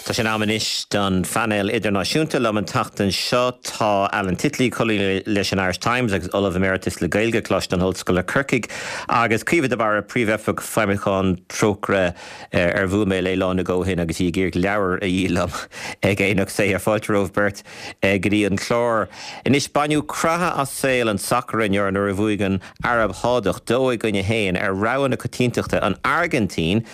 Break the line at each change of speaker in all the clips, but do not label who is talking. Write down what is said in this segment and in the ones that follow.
Tá sé in am anois don phainéal idirnáisiúnta. Liom an tseachtain seo tá Alan Titley, colúnaí leis an Irish Times agus Ollamh Emeritus le Gaeilge, Coláiste na hOllscoile Corcaigh, agus Caoimhe de Barra, Príomhoifigeach Feidhmiúcháin Trócaire, ar bhuail mé léi lá nó dhó ó shin agus í ag iarraidh leabhar a dhíol liom ag Aonach Saothair. Fáilte romhaibh beirt go dtí an clár. Anois, baineadh creathadh as saol an tsacair inniu nuair a bhuaigh an Araib Shádach 2-1 ar rogha na coitiantachta, an Airgintín,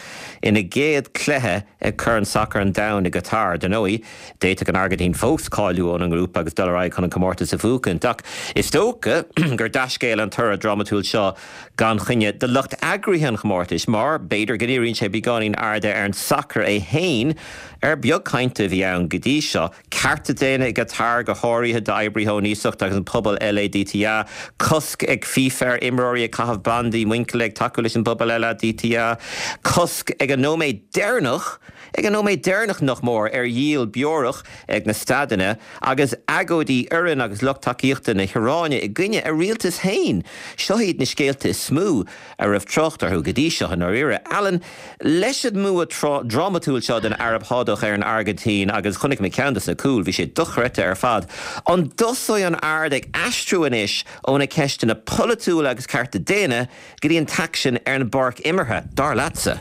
ina gcéad chluiche ag Corn Sacair an Domhain i gCatar. Dar ndóigh, d'fhéadfadh an Airgintín fós cáiliú óna ngrúpa agus dul ar aghaidh chun an comórtas a bhuachaint, ach is dócha gur dea-scéal an toradh drámatúil seo gan choinne do lucht eagraithe an chomórtais, mar b'fhéidir go ndíríonn sé beagáinín airde ar an sacar é féin, ar beag cainte a bhí ann go dtí seo. Cearta daonna i gCatar, go háirithe d'oibrithe ón iasacht agus an pobal LADTA, cosc ag FIFA ar imreoirí ag caitheamh bandaí muinchille ag tacú leis an bpobal LADTA, cosc ag an nóiméad deireanach, ag an nóiméad deireanach nach mór, ar dhíol beorach ag na staideanna, agus agóidí fhoireann agus lucht tacaíochta na hIaráine i gcoinne a rialtas féin. Seo iad na scéalta is mó a raibh trácht orthu go dtí seo i ndáiríre. Alan, leis an mbua drámatúil seo den Araib Shádach ar an Airgintín, agus chonaic mé ceann de na cúil, bhí sé dochreidte ar fad, an dtosóidh an aird ag aistriú anois ó na ceisteanna polaitiúla agus cearta daonna go dtí an t-aicsean ar an bpáirc imeartha, dar leatsa?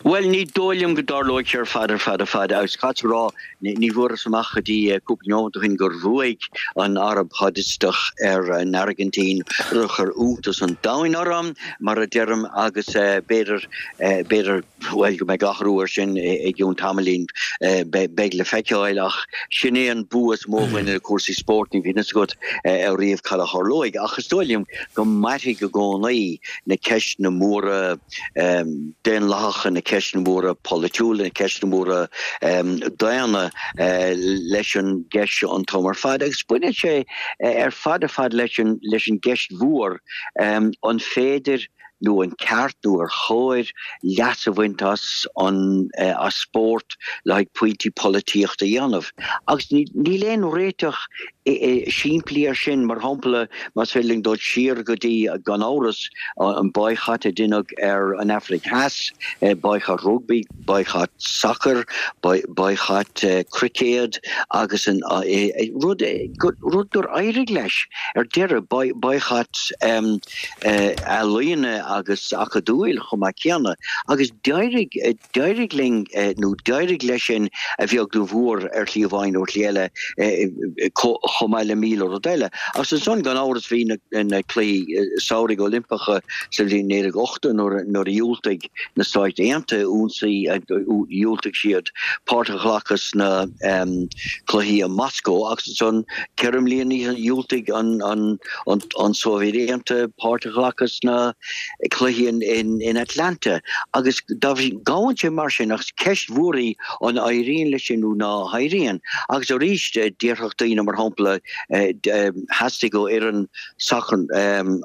Bhuel, ní dóigh liom go dtarlóidh sé ar fad ar fad ar fad, agus caithfidh a rá, Ní bhfuarthas amach go dtí cúpla neomat ó shin gur bhuaigh an Araib Shádach ar an Airgintín, rud a chuir iontas an domhain orm, mar a deirim, agus b'fhéidir, b'fhéidir, bhuel, go mbeidh athrú air sin i gcionn tamaillín, beidh le feiceáil, ach sin é an bua is mó a bhaineann le cúrsaí spóirt, ní bhíonn a fhios agat ariamh cad a tharlóidh, ach is dóigh liom go mairfidh i gcónaí na ceisteanna móra. daonlathacha, na ceisteanna móra polaitiúla, na ceisteanna móra daonna leis an gceist seo an t-am ar fad. Agus baineann sé ar fad ar fad leis an leis an gceist mhór, an féidir nó an ceart nó ar chóir leas a bhaint as an as spórt le haghaidh pointí polaitíochta a dhéanamh? Agus níl aon réiteach simplí air sin. Mar shampla, más féidir linn dul siar go dtí, gan amhras, an boycott a deineadh ar an Afraic Theas, boycott rugbaí, boycott sacair, boycott cruicéad agus an rud, rud gur éirigh leis ar deireadh, boycott ealaíne agus acadúil chomh maith céanna agus d'éirigh, D'éirigh linn, nó d'éirigh leis sin a bheag nó a mhór ar shlí amháin nó ar shlí eile, chomh maith le 1,000 rud eile. Agus ansan, gan amhras, bhí na Cluichí Samhraidh Oilimpeacha sa bhliain 1980 nuair a dhiúltaigh na Stáit Aontaithe ionsaí, dhiúltaigh siad páirt a ghlacadh sna Cluichí i Moscó agus ansan 4 mbliana dhiúltaigh an Sóivéid Aontaithe páirt a ghlacadh sna cluichí in Atlanta agus gabhann sé mar sin ach ceist mhór í an éiríonn leis sin nó ná héiríonn agus arís déarfadh daoine mar shampla theastaigh ó fhoireann sacair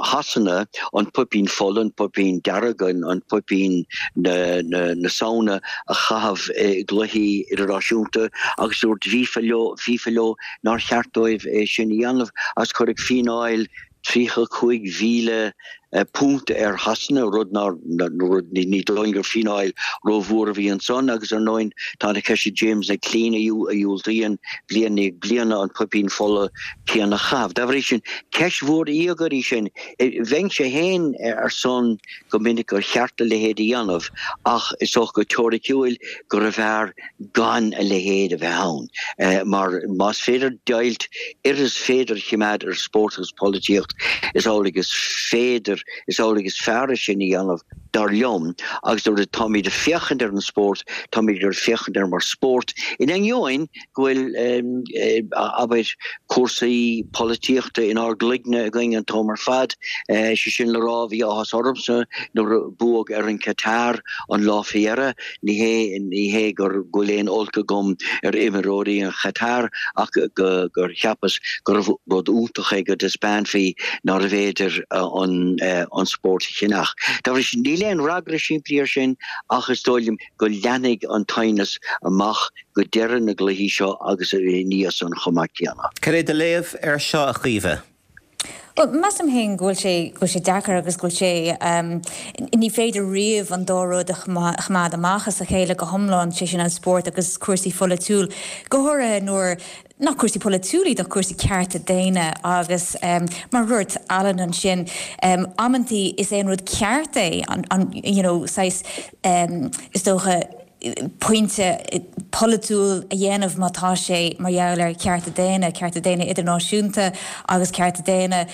Shasana an poipín fola, an poipín dearg, an poipín na Samhna a chaitheamh i gcluichí idirnáisiúnta agus dúirt FIFA leo FIFA leo nár cheart dóibh é sin a dhéanamh agus cuireadh fíneáil £35,000 ar Shasana, rud nár, rud, ní dóigh liom gur fíneáil rómhór a bhí ansan agus ar ndóigh tá an cheist ag James McClean a dhiúltaíonn bliain i ndiaidh bliana an poipín fola céanna a chaitheamh. Dá bhrí sin, ceist mhór íogair í sin. Bheinnse féin ar son go minic gur cheart a leithéid a dhéanamh ach is dócha go teoiriciúil gurbh fhearr gan a leithéid a bheith ann, mar más féidir deighilt oiread is féidir a choimeád ar spórt agus polaitíocht, is amhlaidh is féidir, is amhlaidh is fearr é sin a dhéanamh, dar liom. Agus nuair atáimid ag féachaint ar an spórt, táimid ag féachaint air mar spórt, in ainneoin go bhfuil, abair, cúrsaí polaitíochta inár gcloigne againn an t-am ar fad. Sé sin le rá, bhí áthas ormsa nuair a buadh ar an Qatar an lá faoi dheireadh. Ní hé, ní hé gur, go bhfuil aon olc agam ar imreoirí an Chatar ach go, gur cheapas gurbh rud iontach é go dtaispeánfaí nárbh fhéidir an, an spórt a cheannach. Dá bhrí sin, níl aon fhreagra simplí air sin ach is dóigh liom go leanfaidh an t-aighneas amach go deireadh na gcluichí seo agus ina dhiaidh san chomh maith céanna.
Cad é do léamh air seo, a Chaoimhe?
Bhuel, measaim féin go bhfuil sé, go bhfuil sé deacair agus go bhfuil sé, ní féidir riamh an dá rud a choimeád amach as a chéile go hiomlán, sé sin an spórt agus cúrsaí pholaitiúil, go háirithe nuair nach cúrsaí polaitiúil iad ach cúrsaí cearta daonna agus mar a dúirt Alan ansin, amantaí is é an rud ceart é an, you know, saghas, is dócha, pointe polaitiúil a dhéanamh má tá sé mar gheall ar chearta daonna, cearta daonna idirnáisiúnta agus cearta daonna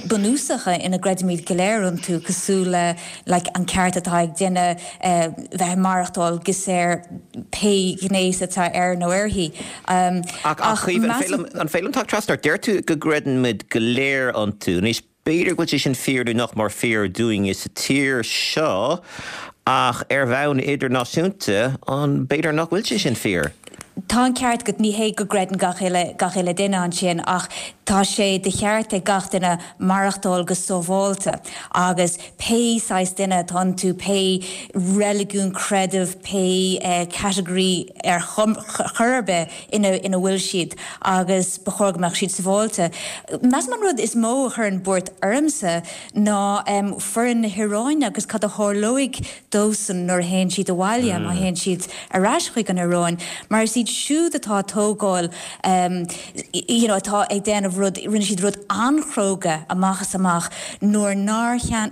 bunúsacha ina gcreidimid go léir iontu, cosúil le like an ceart atá ag duine bheith ag maireachtáil go saor pé gnéas atá air nó uirthi.
Ach Caoimhe, an féidir liom teacht trasna ort? Deir tú go gcreideann muid go léir iontu. Anois, B'fhéidir go bhfuil sé sin fíor nó nach mór fíor dúinne sa tír seo ach ar bhonn idirnáisiúnta, an b'fhéidir nach bhfuil sé sin fíor?
Tá an ceart agat, ní hé go gcreideann gach uile, gach uile duine ansin ach tá sé de cheart ag gach duine maireachtáil go sábháilte agus pé saghas duine atá iontu, pé reiligiún, creideamh, pé category ar chor ar bith, ina bhfuil siad agus ba chóir go mbeadh siad sábháilte. Measaim an rud is mó a chuireann buairt ormsa ná foireann na hIaráine agus cad a tharlóidh dósan nuair a théann siad abhaile, má théann siad ar ais chuig an Iaráin, mar is iad siúd atá ag tógáil you know atá ag déanamh rud, rinne siad rud an-chróga amach is amach nuair nár chan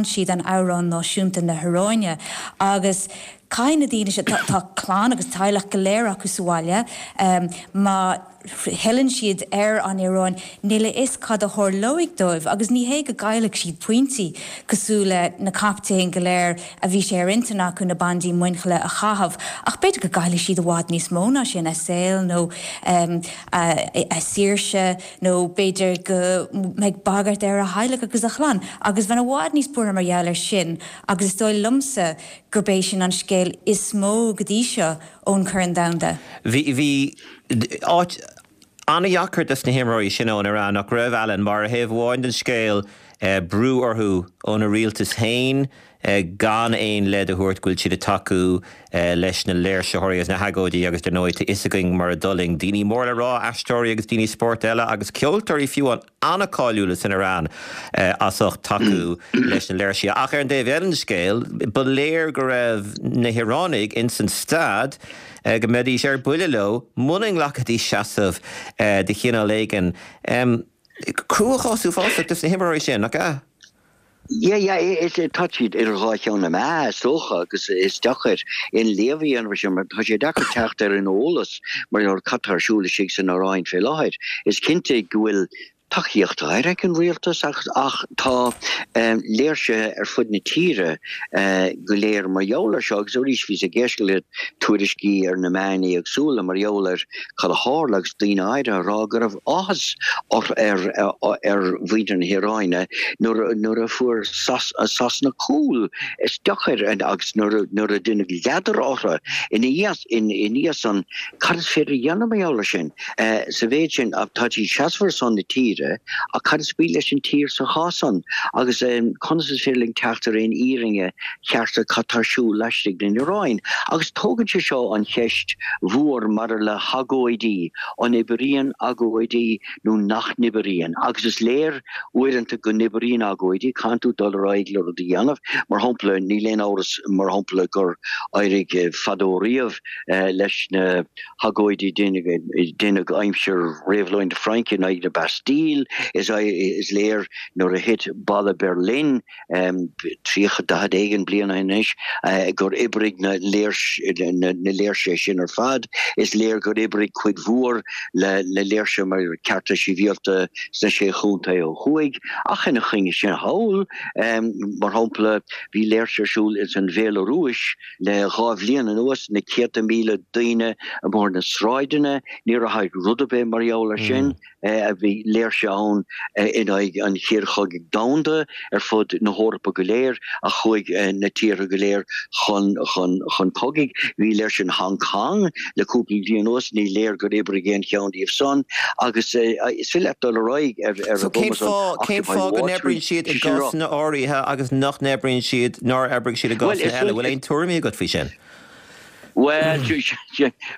siad an amhrán náisiúnta na hIaráine agus Caithfidh na daoine seo, tá clann agus teaghlach go léir acu sa bhaile, má fhilleann siad ar an Iaráin, níl a fhios cad a tharlóidh dóibh agus ní hé go gcaillfidh siad pointí cosúil le na captaein go léir a bhí sé ar intinn acu na bandaí muinchille a chaitheamh ach b'fhéidir go gcaillfidh siad i bhfad níos mó ná sin, a saol nó a saoirse nó b'fhéidir go mbeidh bagairt ar a theaghlach agus a chlann agus bheinn i bhfad níos buartha mar gheall air sin agus is dóigh liomsa gurb é sin an scéal is mó go dtí seo ón Chorn Domhanda.
Bhí, bhí áit an-dheacair dos na himreoirí sin ón Iaráin, nach raibh, Alan, mar ar thaobh amháin den scéal, brú orthu óna rialtas féin gan aon leid a thabhairt go bhfuil siad ag tacú leis na léirsitheoirí agus na hagóidí agus dar ndóigh tá fhios againn mar a d'fhulaing daoine mór le rá, aisteoirí agus daoine spóirt eile agus ceoltóirí fiú amháin. an-cáiliúla san Iaráin as ucht tacú leis na léirsithe. Ach ar an dtaobh eile den scéal, ba léir go raibh na hIaránaigh ins an staid go mbeidís ar buile leo muna nglacfaidís seasamh de chineál éigin. Cruachás uafásach dos na himreoirí sin, nach ea?
Yeah, yeah, is tá siad idir dhá cheann na meá, is dócha, agus is deacair aon léamh a dhéanamh ar sin mar tá sé deacair teacht ar an eolas mar gheall ar cad tá ar siúl istigh san Iaráin fé láthair. Is cinnte go bhfuil tacaíocht áirithe ag an rialtas ach ach tá léirsithe ar fud na tíre go léir mar gheall ar seo agus arís bhíos ag éisteacht le tuairiscí ar na meáin éagsúla mar gheall ar cad a tharla agus daoine áirithe ag rá go raibh áthas ar mhuintir na hIaráine nuair a fuair Sasana cúl. Is deacair agus nuair a deineadh ladar orthu ina dhiaidh san, cad is féidir a dhéanamh mar gheall ar sin? Sa mhéid sin, tá siad seasamh ar son na tíre ach cad is brí leis an tír sa chás san? Agus conas is féidir linn teacht ar aon fhírinne cheart ar cad tá ar siúl laistigh den Iaráin. Agus tógann sé seo an cheist mhór maidir le hagóidí, an oibríonn agóidí nó nach n-oibríonn? Agus is léir uaireanta go n-oibríonn agóidí, caitheann tú dul ar aghaidh le rud a dhéanamh. Mar shampla, níl aon amhras, mar shampla, gur éirigh fadó riamh leis na hagóidí a deineadh aimsir Réabhlóid na Fraince in aghaidh na Bastille. Is léir nuair a thit Balla Berlin, 30, 40 éigin bliain ó shin anois, gur oibrigh na léirsithe sin ar fad. Is léir gur oibrigh cuid mhór le léirsithe mar cearta sibhialta sna Sé Chontae ó thuaidh. Ach ina choinne sin thall, mar shampla, bhí léirsithe ar siúl ins an Bhéalarúis le 2 bhliain anuas, na céadta míle daoine amuigh ar na sráideanna. Níor athraigh rud ar bith mar gheall air sin. Bhí léirsithe ann in aghaidh an Chéad Chogaidh Domhanda ar fud na hEorpa go léir ach chuaigh na tíortha go léir chun chun cogaidh. Bhí léirsithe in Hong Kong le cúpla bliain anuas, ní léir gur oibrigh aon cheann díobh san agus is féidir leat dul ar aghaidh ar
an gcuma san. Cén fáth go n-oibríonn siad i gcásanna áirithe agus nach n-oibríonn siad, nár oibrigh siad i gcásanna eile? Bhfuil aon tuairimí agat faoi sin?
Bhuel,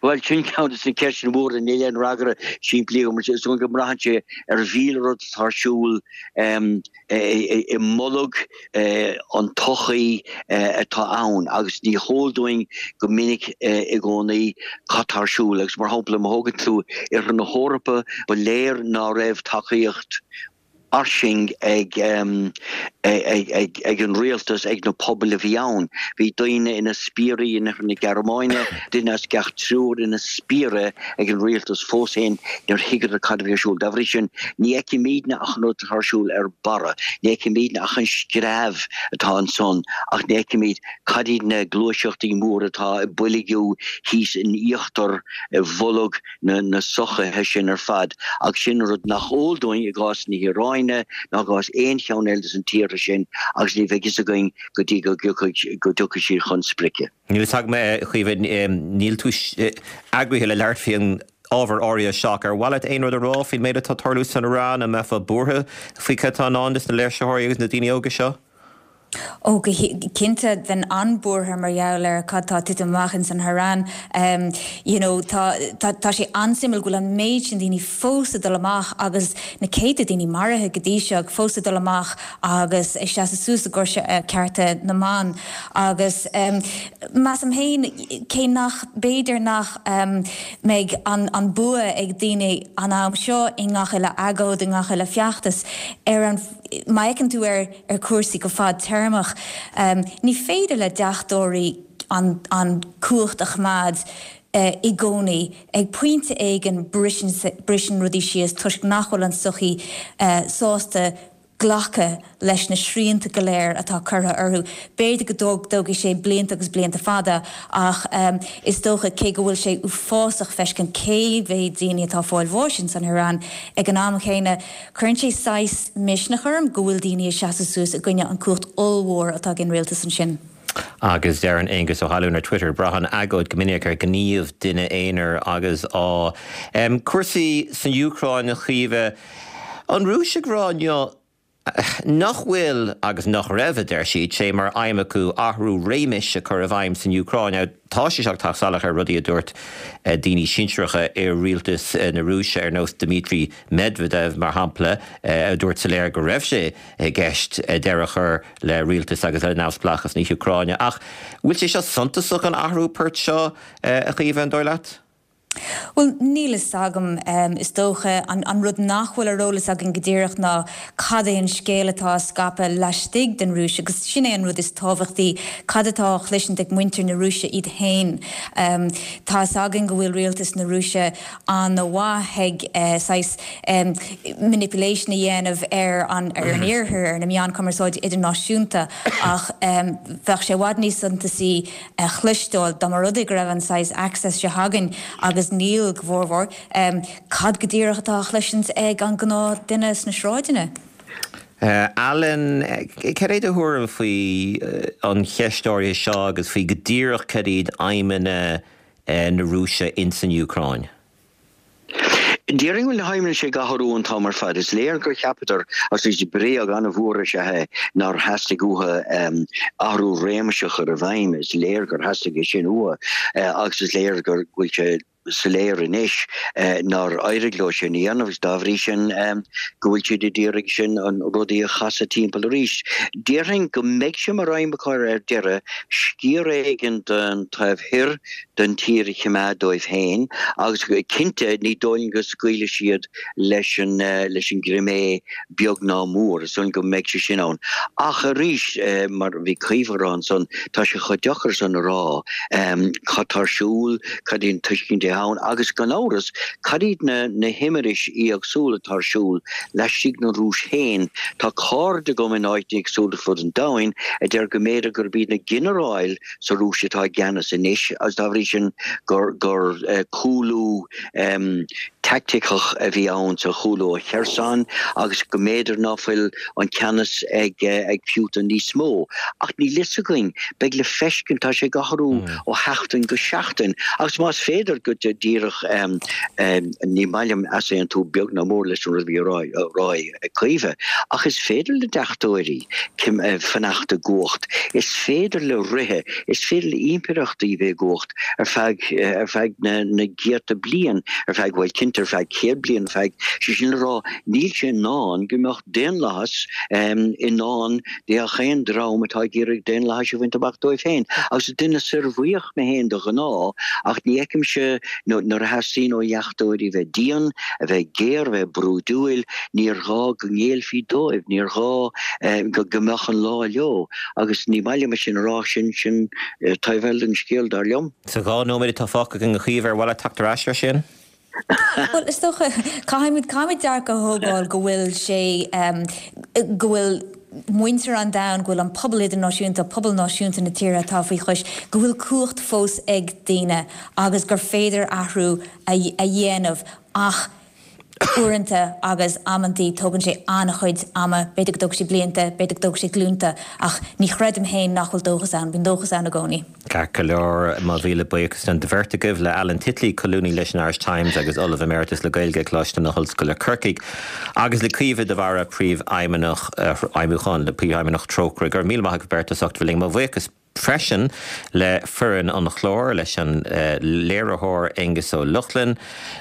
bhuel, sin ceann de na ceisteanna móra, níl aon fhreagra simplí agam, is dóigh go mbraitheann sé ar mhíle rud atá ar siúl i mbolg an tsochaí atá ann agus ní heol dúinn go minic i gcónaí cad tá ar siúl agus mar shampla má thógann tú Oirthear na hEorpa ba léir ná raibh tacaíocht fhairsing ag ag an rialtas, ag na pobail a bhí ann. Bhí daoine ina spiairí in Oirthear na Gearmáine, duine as gach triúr ina spiaire ag an rialtas fós féin níor thuigeadar cad a bhí ar siúl. Dá bhrí sin, ní fheicimidne ach an rud atá ar siúl ar barra, ní fheicimidne ach an screamh atá ansan ach ní fheicimid cad iad na gluaiseachtaí móra atá ag boilgiú thíos in íochtar bholg na sochaithe sin ar fad, agus sin rud nach eol dúinn i gcás na hIaráine ná i gcás aon cheann eile de na tíortha sin agus ní bheidh fhios againn go dtí go dtiocfaidh siad chun sprice.
Níl fhios agam, a Chaoimhe, níl tú eagraithe le labhairt faoin ábhar áirithe seo ach ar mhaith leat aon rud a rá faoin méid atá ag tarlú san Iaráin, an mbeifeá buartha faoi cad atá i ndán dos na léirsitheoirí agus na daoine óga seo?
Ó, go cinnte, bheinn an-buartha mar gheall ar cad tá ag titim amach ins an hIoráin. You know, tá, tá, tá sé an-suimiúil go bhfuil an méid sin daoine fós ag dul amach agus na céadta daoine maraithe go dtí seo, fós ag dul amach agus ag seasamh suas i gcomhair cearta na mban. Agus measaim féin, cé nach, b'fhéidir nach mbeidh an, an bua ag daoine an am seo i ngach uile agóid, i ngach uile feachtas, ar an, má fheiceann tú ar, ar chúrsaí go fadtéarmach. Ní féidir le deachtóirí an an cumhacht a choimeád i gcónaí. Ag pointe éigin briseann rudaí síos toisc nach bhfuil an tsochaí sásta glacadh leis na srianta go léir atá curtha orthu. B'fhéidir go dtógfaidh sé blianta agus blianta fada ach is dócha, cé go bhfuil sé uafásach feiscint cé mhéad daoine atá ag fáil bháis ins an hIoráin, ag an am chéanna, Cuireann sé saghas misneach orm go bhfuil daoine ag seasamh suas i gcoinne an cumhacht ollmhór atá ag an rialtas ansin.
Agus deireann Aengus Ó hAlúin ar Twitter, Braitheann agóid go minic ar ghníomh duine aonair agus ádh. Cúrsaí san Úcráin, a Chaoimhe. An Rúis ag rá inniu nach bhfuil, agus nach raibh, a deir siad, sé mar aidhm acu athrú réimis a chur i bhfeidhm san Úcráin. Now, tá sé seo ag teacht salach ar rudaí a dúirt daoine sinsearacha i rialtas na Rúise ar nós Dmitry Medvedev, mar shampla, a dúirt soiléir go raibh sé i gceist deireadh a chur le rialtas agus le neamhspleáchas na hÚcráine. Ach bhfuil sé seo suntasach, an athrú poirt seo, a Chaoimhe, an dóigh leat?
Bhuel, níl fhios agam. Is dócha, an rud nach bhfuil ar eolas againn go díreach ná cad é an scéal atá á scaipeadh laistigh den Rúis, agus sin é an rud is tábhachtaí, cad atá á chloisint ag muintir na Rúise iad féin. Tá fhios againn go bhfuil rialtas na Rúise an-mhaith ag saghas manipulation a dhéanamh ar an ar an Iarthar, ar na meáin cumarsáide idirnáisiúnta, ach bheadh sé i bhfad níos suntasaí a chloisteáil, dá mba rud é go raibh an saghas access seo againn, agus níl go formhór, cad go díreach atá á chloisint ag an gnáth duine sna sráideanna?
Alan, cad é do thuairim faoi an cheist áirithe seo agus faoi go díreach cad iad aidhmeanna na Rúise ins an Úcráin?
Déarfainn go bhfuil na haidhmeanna sin ag athrú an t-am ar fad. Is léir gur cheapadar, agus is bréag an-mhór is ea é, nár theastaigh uathu athrú réimis a chur i bhfeidhm. Is léir gur theastaigh é sin uathu agus is léir go bhfuil sé soiléir anois nár éirigh leo sin a dhéanamh agus dá bhrí sin go bhfuil siad ag iarraidh sin an rudaí a chasadh timpeall arís. Déarfainn go mbeidh sé mar aidhm acu ar deireadh sciar éigin den taobh thoir den tír a choimeád dóibh féin agus cinnte ní dóigh liom go scaoilfidh siad leis an leis an gCrimé beag ná mór, is dóigh liom go mbeidh sé sin ann. Ach arís, mar a bhí Caoimhe a rá ansan, tá sé chomh deacair san a rá cad tá ar siúl, cad í an tuiscint atá ann agus gan amhras cad iad na na himiris éagsúla atá ar siúl laistigh den Rúis féin. Tá cairde agam in áiteanna éagsúla fud an domhain a deir go mb'fhéidir gurb iad na ginearáil sa Rúis atá i gceannas anois agus dá bhrí sin gur gur cúlú. taicticeach a bhí ann sa chúlú ó Kherson agus go mb'fhéidir ná fuil an ceannas ag ag Putin níos mó. Ach níl fhios againn, beidh le feiscint, tá sé ag athrú ó sheachtain go seachtain agus más féidir go díreach ní maith liom easaontú beag ná mór leis an rud a bhí á rá ag Caoimhe, ach is féidir le deachtóirí fanacht i gcumhacht, is féidir le ríthe, is féidir le impireachtaí bheith i gcumhacht ar feadh ar feadh na na gcéadta bliain, ar feadh, bhuel cinnte ar feadh 100 bliain, ar feadh, sé sin le rá, níl sé i ndán go mbeadh daonlathas i ndán do aon dream atá ag iarraidh daonlathais a bhaint amach dóibh féin. Agus is duine saorbhuíoch mé féin de ghnáth, ach ní fheicimse nuair a theastaíonn ó dheachtóirí bheith dian, a bheith géar, a bheith brúidiúil, níor ghá go ngéillfí dóibh, níor ghá go mbeadh an lá leo. Agus ní maith liom é sin a rá, sin sin taobh eile den scéal, dar liom.
Sa 2 nóiméad atá fágtha againn, a Chaoimhe, ar mhaith leat teacht ar ais air sin?
Bhuel, is dócha, caithfimid, caithfimid dearcadh a thógáil go bhfuil sé, go bhfuil muintir an domhain, go bhfuil an pobal idirnáisiúnta, pobal náisiúnta na tíortha atá faoi chois, go bhfuil cumhacht fós ag daoine agus gur féidir athrú a dhéanamh ach uaireanta agus amantaí tógann sé an-chuid ama, b'fhéidir go dtógfaidh sé blianta, b'fhéidir go dtógfaidh sé glúnta ach ní chreidim féin nach bhfuil dóchas ann, bíonn dóchas ann i gcónaí.
Ceart go leor, mo mhíle buíochas don bheirt agaibh, le Alan Titley, colúnaí leis an Irish Times agus Ollamh Emeritus le Gaeilge ag Coláiste na hOllscoile Corcaigh, agus le Caoimhe de Barra, Príomhfheidhmeannach Feidhmiúcháin, Príomhfheidhmeannach Trócaire. Go raibh míle maith agaibh beirt as ucht bheith linn. Mo bhuíochas freisin le foireann an chláir, leis an léiritheoir Aengus Ó Lochlainn,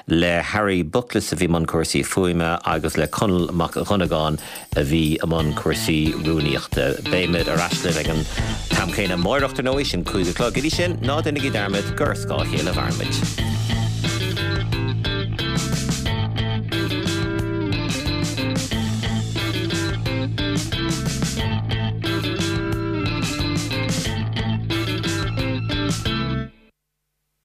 le Harry Buckless a bhí i mbun cúrsaí fuaime agus le Conall Mac Dhonnagáin a bhí i mbun cúrsaí rúnaíochta. Beimid ar ais libh ag an t-am céanna amáireach, ar ndóigh, sin 5 a chlog. Go dtí sin, ná déanaigí dearmad gur ar scáth a chéile a mhairimid.